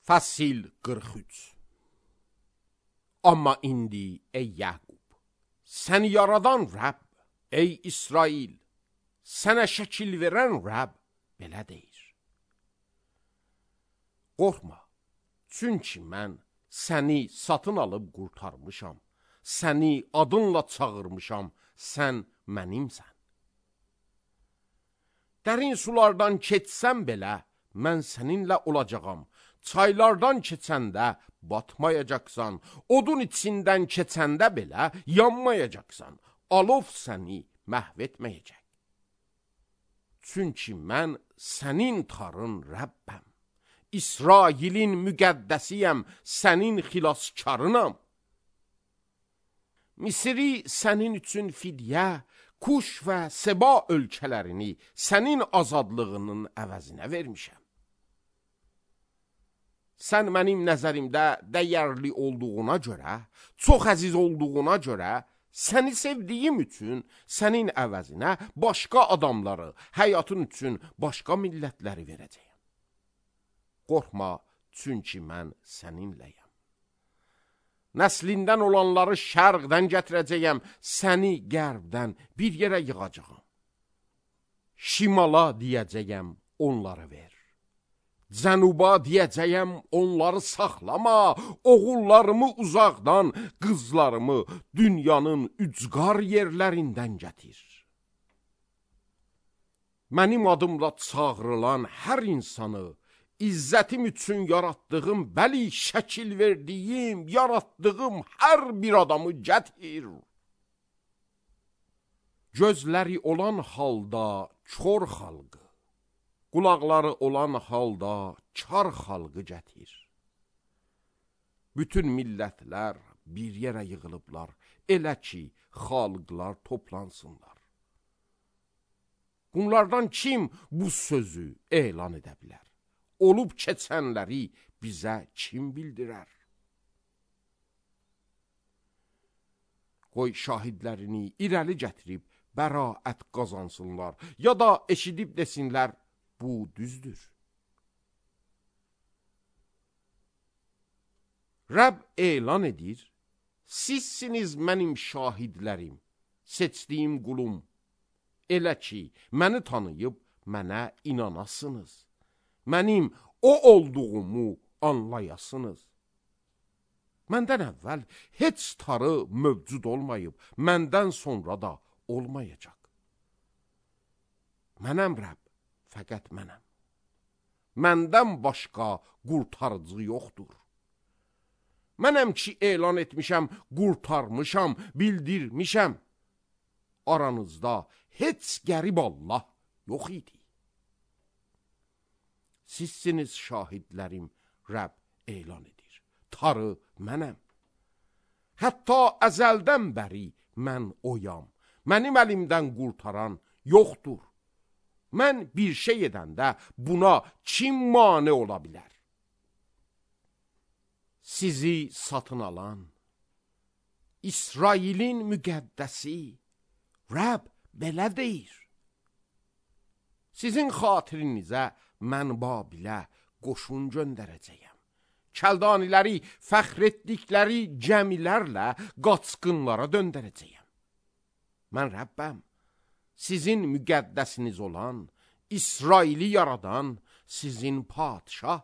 Fəsil 43. Amma indi ey Yaqub, səni yaradan Rəbb, ey İsrail, sənə şəkil verən Rəbb belə deyir. Qorxma, çünki mən səni satın alıb qurtarmışam, səni adınla çağırmışam, sən mənimsən. Dərin sulardan keçsən belə, mən səninlə olacağam. Çaylardan keçəndə batmayacaqsan, odun içindən keçəndə belə yanmayacaqsan, alov səni məhv etməyəcək. Çünki mən sənin tarın Rəbbəm, İsrailin müqəddəsiyəm, sənin xilaskarınam. Misri sənin üçün fidyə, Kuş və Seba ölkələrini sənin azadlığının əvəzinə vermişəm. Sən mənim nəzərimdə dəyərli olduğuna görə, çox əziz olduğuna görə, səni sevdiyim üçün sənin əvəzinə başqa adamları, həyatın üçün başqa millətləri verəcəyəm. Qorxma, çünki mən səninləyəm. Nəslindən olanları şərqdən gətirəcəyəm, səni qərbdən bir yerə yığacağam. Şimala deyəcəyəm, onları ver. Cənuba deyəcəyəm, onları saxlama, oğullarımı uzaqdan, qızlarımı dünyanın ücqar yerlərindən gətir. Mənim adımla çağrılan hər insanı, İzzətim üçün yaratdığım, bəli şəkil verdiyim, yaratdığım hər bir adamı gətir. Gözləri olan halda kör xalqı, qulaqları olan halda kar xalqı gətir. Bütün millətlər bir yerə yığılıblar, elə ki, xalqlar toplansınlar. Bunlardan kim bu sözü elan edə bilər? Olub keçənləri bizə kim bildirər? Qoy şahidlərini irəli gətirib bəraət qazansınlar, ya da eşidib desinlər, bu düzdür. Rəbb elan edir, sizsiniz mənim şahidlərim, seçdiyim qulum, elə ki, məni tanıyıb mənə inanasınız. Mənim o olduğumu anlayasınız. Məndən əvvəl heç tarı mövcud olmayıb, məndən sonra da olmayacaq. Mənəm Rəbb, fəqət mənəm. Məndən başqa qurtarıcı yoxdur. Mənəm ki, elan etmişəm, qurtarmışam, bildirmişəm. Aranızda heç qərib Allah yox idi. Sizsiniz şahidlərim, Rəbb elan edir. Tarı mənəm. Hətta əzəldən bəri mən oyam. Mənim əlimdən qurtaran yoxdur. Mən bir şey edəndə buna kim mane ola bilər? Sizi satın alan, İsrailin müqəddəsi, Rəbb belə deyir. Sizin xatirinizə mən Babilə qoşun göndərəcəyəm. Kəldaniləri fəxr etdikləri gəmilərlə qaçqınlara döndərəcəyəm. Mən Rəbbəm, sizin müqəddəsiniz olan, İsraili yaradan sizin padişah.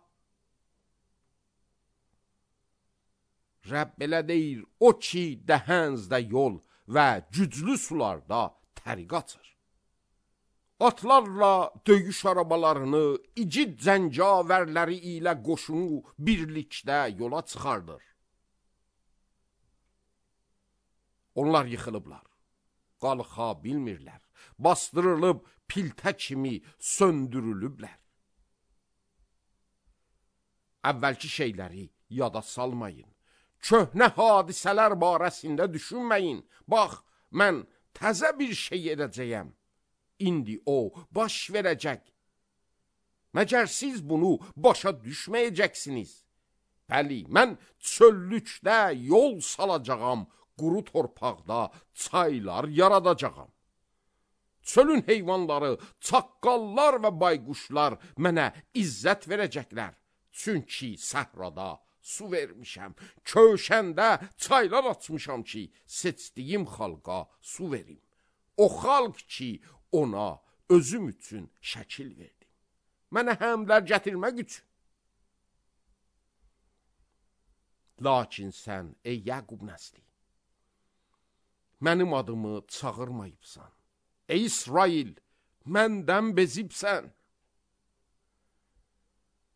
Rəbb belə deyir, o ki, dəhənzdə yol və güclü sularda təriq açır. Atlarla döyüş arabalarını, igid zəncavərləri ilə qoşunu birlikdə yola çıxardır. Onlar yıxılıblar, qalxa bilmirlər, bastırılıb piltə kimi söndürülüblər. Əvvəlki şeyləri yada salmayın, köhnə hadisələr barəsində düşünməyin. Bax, mən təzə bir şey edəcəyəm. İndi o baş verəcək. Məgər siz bunu başa düşməyəcəksiniz? Bəli, mən çöllükdə yol salacağam, quru torpaqda çaylar yaradacağam. Çölün heyvanları, çaqqallar və bayquşlar mənə izzət verəcəklər. Çünki səhrada su vermişəm, köşəndə çaylar açmışam ki, seçdiyim xalqa su verim. O xalq ki, ona özüm üçün şəkil verdim. Mənə həmlər gətirmək üçün. Lakin sən, ey Yaqub nəsli, mənim adımı çağırmayıbsan. Ey İsrail, məndən bezibsən.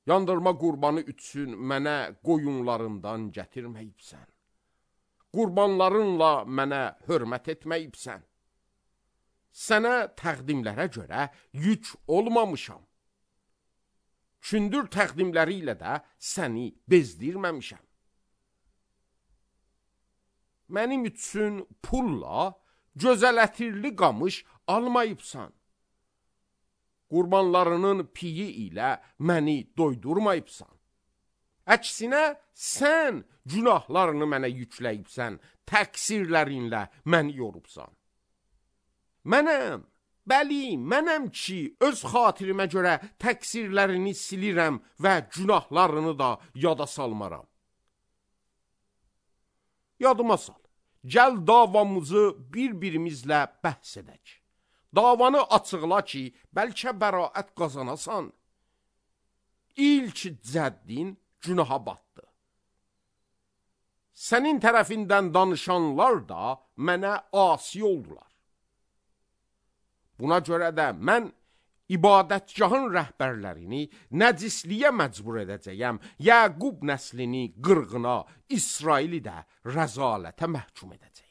Yandırma qurbanı üçün mənə qoyunlarından gətirməyibsən. Qurbanlarınla mənə hörmət etməyibsən. Sənə təqdimlərə görə yük olmamışam. Kündür təqdimləri ilə də səni bezdirməmişəm. Mənim üçün pulla gözəl ətirli qamış almayıbsan. Qurbanlarının piyi ilə məni doydurmayıbsan. Əksinə, sən günahlarını mənə yükləyibsən, təqsirlərinlə məni yorubsan. Mənəm, bəli, mənəm ki, öz xatirimə görə təqsirlərini silirəm və günahlarını da yada salmaram. Yadıma sal, gəl davamızı bir-birimizlə bəhs edək. Davanı açıqla ki, bəlkə bəraət qazanasan. İlk cəddin günaha batdı. Sənin tərəfindən danışanlar da mənə asi oldular. Buna görə də mən ibadətgahın rəhbərlərini nəcisliyə məcbur edəcəyəm, Yaqub nəslini qırğına, İsraili də rəzalətə məhkum edəcəyəm.